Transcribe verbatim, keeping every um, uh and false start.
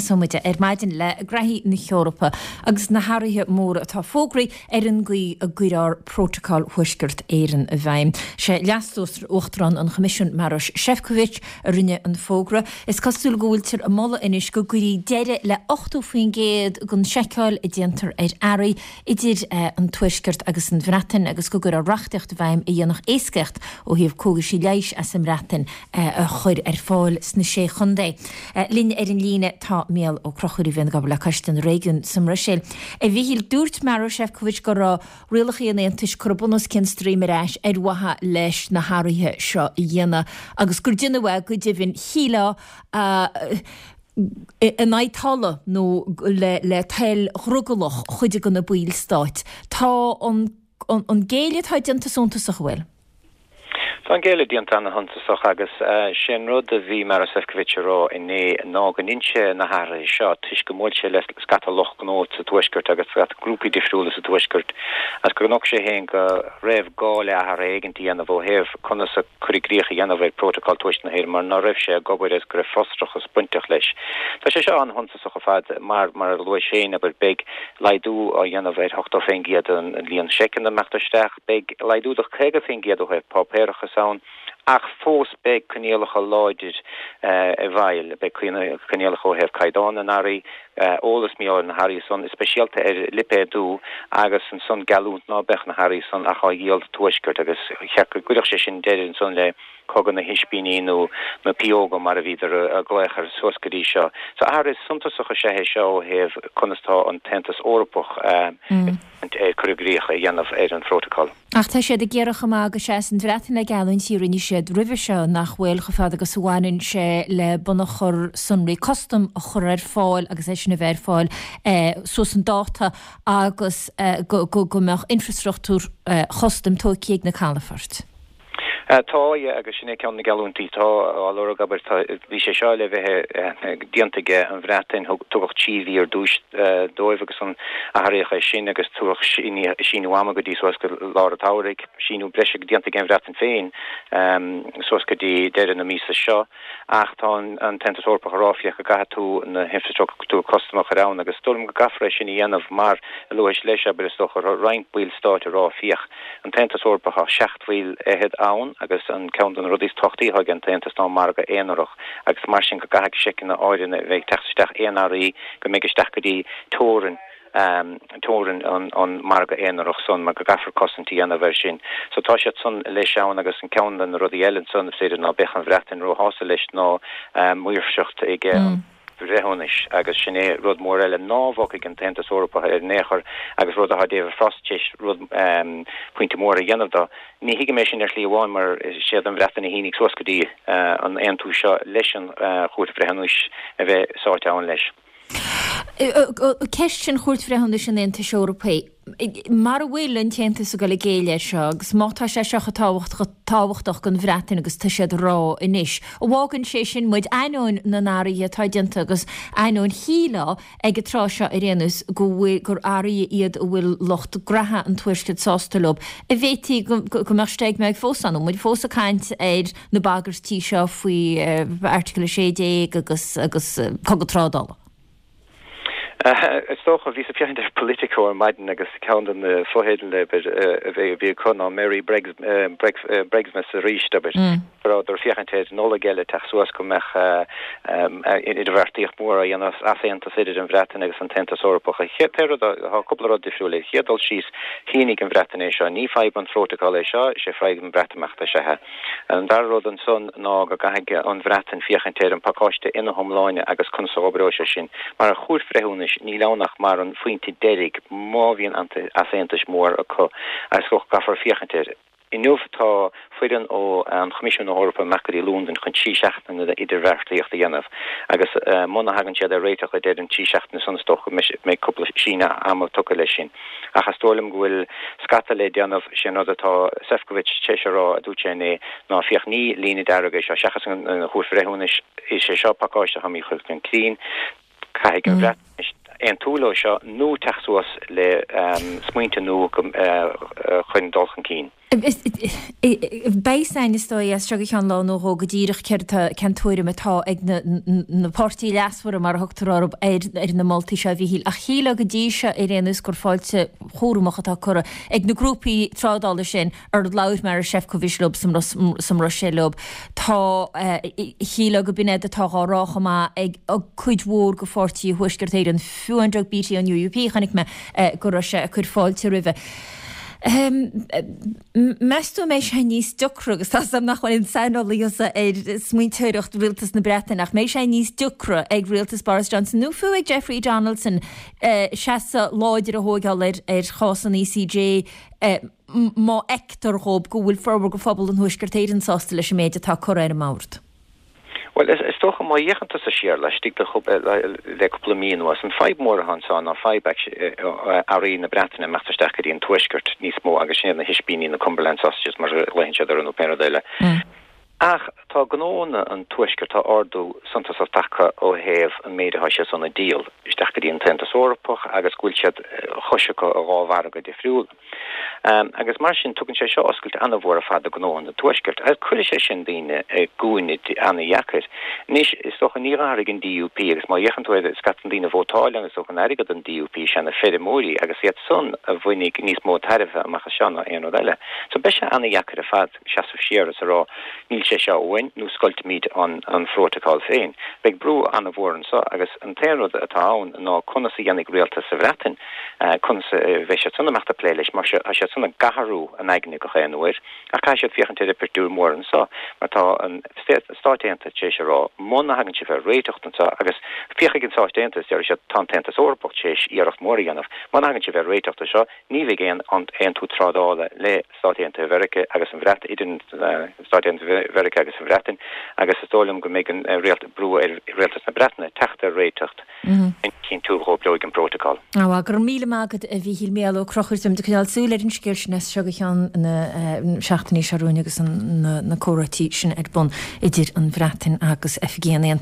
Tosóidh muid ar maidin le graithí na hEorpa agus na hathruithe móra atá fógraithe ar an gcaoi a gcuirfear Prótacal Thuaisceart Éireann i bhfeidhm. Sé Leas-Uachtarán an Choimisiúin Maroš Šefčovič a rinne an fógra. Is cosúil go bhfuiltear ag moladh anois go gcuirfí deireadh le ochtó faoin gcéad den seiceáil a déantar ar earraí idir an Tuaisceart agus an Bhreatain agus go gcuirfear reachtaíocht i bhfeidhm a dhéanfadh éascaíocht ó thaobh cógaisí leighis as an mBreatain a chur ar fáil sna Sé Chontae. Linn ar an líne tá Mícheál Ó Conchúir a bhíonn ag obair le Coiste na Réigiún sa mBruiséil. A Mhíchíl, dúirt Maroš Šefčovič go raibh rialacha an Aontais curtha bun os cionn stroim ar ais ar mhaithe leis na hathruithe seo a dhéanamh agus gur déanadh é go deimhin shílfeá in aghaidh tola nó le le toil dhrogallach chuid de na ballstáit. Tá an an géilleadh atá déanta suntasach an bhfuil? Tá an géilleadh déanta ana-shuntasach agus sé an rud a bhí Maroš Šefčovič a rá inné ná go ndein sé na hathruithe seo toisc go mbuail sé le scata lucht gnó sa Tuaisceart agus scata grúpaí difriúla sa Tuaisceart agus gur nocht sé féin go raibh gá le hathruithe éigin a dhéanamh ó thaobh conas a cur i gcrích a dhéanamh ar Prótacal Tuaisceart na hÉireann mar ná raibh sé ag obair agus go raibh frustrachas bainteach leis. Tá sé seo an-shuntasach ar fad mar mar a luaigh sé abair beidh laghdú á dhéanamh ar ochtó faoin gcéad an líon seiceanna a mbeadh isteach, beidh laghdú de caoga faoin gcéad ó thaobh páipéarachas ann ach fós beidh coinníollacha láidir i bhfeighil, beidh coinníollacha ó thaobh caighdeán na n-earraí, eolas míle ar na hearraí san, is speisialta ar lipéadú agus ansan geallúint ná beadh na hearraí san ach á dhíol sa Tuaisceart agus cheart go gcuirfeadh sé sin deireadh ansan le cogadh na hispíní nó na pióga mar a bhíodar ag glaoch air suas go dtí seo. So athrú suntasach is ea é seo ó thaobh conas tá an tAontas Eorpach ag cur i gcrích a dhéanamh ar an phrótacal. Ach tá siad ag iarraidh chomh maith go seas an Bhreatain le geallúintí a rinne siad roimhe seo nach bhfuil chomh fada agus a bhaineann sé le bunachar sonraí custam a chur ar fáil agus é sin a bheith ar fáil suas an dáta agus go go mbeadh infrastruchtúr chustaim tógtha ag na calafoirt. Tá yeah, agus sin é ceann na geallúintí tá á lorg abair bhí sé seo le bheith déanta ag an Bhreatain tugadh trí mhí ar dtús dóibh agus an athraíodh é sin agus tugadh síneadh ama go dtí suas go lár an tsamhraidh, síneadh breise déanta ag an Bhreatain féin suas go dtí deireadh na míosa seo ach tá an tAontas Eorpach ag rá féach go gcaithfidh tú na hinfrastruchtúr custam a chur ann agus dóigh liom go gcaithfear é sin a dhéanamh mar a luais leis abair is dócha roinnt baill stáit a rá féach an tAontas Eorpach tá seacht bhfuil fhichead ann agus an ceann de na rudaí is tábhachtaí atá ag an tAontas ná margadh aonarach agus mar sin go gcaithfidh seiceanna áirithe a bheith ag teacht isteach aon earraí go mbeidh isteach go dtí teorainn um, teorainn an, an margadh aonarach san mar go gcaithfear cosaint a dhéanamh air sin. So tá siad san leis ann agus an ceann de na rudaí eile san féidir ná beadh an Bhreatain róshásta leis ná um, maoirseacht ag mm. breithiúnais agus sin é rud mór eile ná bhogfaidh an tAontas Eorpach ar aon chor agus rud atá David Frost tar éis rud um, pointe mór a dhéanamh dó. Ní thuigim é sin ar shlí amháin mar siad an Bhreatain a shínigh suas go dtí uh, an aontú seo leis an uh, Chúirt Bhreithiúnais a bheith sáite ann leis. Ceist sin Chúirt Bhreithiúnais an Aontais Eorpaigh. Mar a bhfuil an tAontas ag dul ag géilleadh seo agus má tá sé seo tábhachtach don Bhreatain agus tá siad rá anois. An bhfágann sé sin muid ainneoin na n-athruithe atá déanta agus ainneoin shílfeá ag an tráth seo ar aon nós go bhfuil gur athruithe iad a bhfuil lucht graithe an tuaiscirt sásta leo. A bhféadfaí go mbeadh steig mbeidh fós ann, muid fós ag caint ar na bagairtí seo faoi Article sé déag agus agus cogadh trádála. Is dócha bhí sa féachaint ar Politico ar maidin agus ceann de na fotheidil a bhí acu ná Merry Brexmas arís abair. Rabhadar féachaint ar Nollaig eile teacht suas go mbeadh idirbheartaíocht mór a dhéanamh easaontas idir an Bhreatain agus an tAontas Eorpach. Tá cúpla rud difriúil chéad dul síos shínigh an Bhreatain é seo, ní fadhb an phrótacal é seo sé fadhb an Bhreatimeachta sé. An dara rud ansan ná go gcaithfidh an Bhreatain féachaint ar an pacáiste ina hiomláine agus conas a oibreoidh sé sin. Mar a Chúirt Bhreithiúnais níl ann ach mar an phointe deiridh má bhíonn easaontas mór acu agus go gcaithfear féachaint air. Inniu tá foireann ó an Choimisiún Eorpach amach go dtí Londain chun trí seachtaine idirbheartaíocht a dhéanamh agus muna thagann siad ar réiteach le deireadh an trí seachtaine san is dócha go mbeidh cúpla síneadh ama tugtha leis sin. Ach is dóigh liom go bhfuil scata le déanamh sin rud atá Šefčovič tar éis a rá a dúirt sé inné ná féach ní líne dearg é seo seachas an Chúirt Bhreithiúnais is é seo pacáiste atá míchuid den crín caithfidh an Bhreatain aontú leo seo nó teacht suas le smaointe nua chun dul chun cinn. Beidh san is dóigh as seo go ceann lá nó dhó go díreach céard cén tuairim atá ag na, na páirtithe leasmhara mar a thugtar orthu ar, ar na moltaí seo a Mhíchíl. Ach shílfeá go dtí seo ar aon nós gur fáilte chúramach atá curtha ag na grúpaí trádála sin ar labhair Maroš Šefčovič leo sa mBruiséil leo. Tá shílfeá go b'in iad atá á rá chomh maith ag cuid mhór de pháirtithe Thuaisceart Éireann fiú an Doug Beattie an UUP chonaic mé go raibh sé ag cur fáilte roimhe. Meas tú an mbeidh sé níos deacra agus tá sam nach bhfuil an saineolaí ar smaointeoireacht rialtas na Breataine ach mbeidh sé níos deacra ag rialtas Boris Johnson nó fiú ag Jeffrey Donaldson seasamh láidir a thógáil ar ar chás an ECJ má fheictear dhóibh go bhfuil formhór de phobal an Thuaisceart Éireann sásta leis an méid atá curtha ar an mbord. Well is, is dócha má fhéachann tusa siar laistigh de le cúpla mí anuas an fadhb mór atá anseo ná fadhb earraí na Breataine imeacht isteach go dtí an tuaisceart níos mó agus sin na hispíní na Cumberland sausages mar a ghlaonn siad orthu nó pé rud eile. Mm. Ach tá gnónna an tuaisceart tá ardú suntasach tagtha ó thaobh an méid atá siad san a dhíol isteach go dtí an tAontas Eorpach agus go bhfuil siad chois acu a dhá mhargadh difriúil. Um, agus mar sin tugann sé seo oscailt an-mhór ar fad do ghnó an tuaiscirt. Agus cuirfidh sé sin daoine i gcúinne an-dheacair. Anois is dócha ní athraigh an DUP agus má fhéachann tú scata daoine vótáil agus thug an airgead an DUP sé na feirmeoirí agus iad san a bhainfidh níos mó tairbhe amach as seo ná aon rud eile. So beidh sé an-dheacair ar fad seasamh siar is a rá níl sé seo uainn nó scoiltfimid an an phrótacal féin. Beidh brú an-mhór anseo agus an t-aon rud atá ann ná conas a dhéanfaidh rialtas sa Bhreatain uh, conas uh, bheidh siad san amach a plé leis mar se siad san gathrú an aigne go chéan uair ach caithfidh siad féachaint ar pictiúr mór anseo mar tá an Stáit Aontaithe tar éis a rá muna thagann sibh ar réiteach anseo agus féachfaidh an Stáit Aontaithe deir siad tá an tAontas Eorpach tar éis iarracht mór a dhéanamh muna thagann sibh ar réiteach seo ní bheidh aon aontú trádála le Stáit Aontaithe Mheiriceá agus an Bhreatain idir Stáit Aontaithe Mheiriceá agus an Bhreatain agus is dóigh liom go mbeidh an réalt brú ar rialtas na Breataine teacht ar réiteach cinntiú go bhfuil an prótacal. Á gur míle maith agat a Mhíchíl Mícheál Ó Conchúir de coinneáil súil ar an scéal sin as seo go ceann na seachtainí seo romhainn agus na comhráití sin ar bun idir an Bhreatain agus oifigí an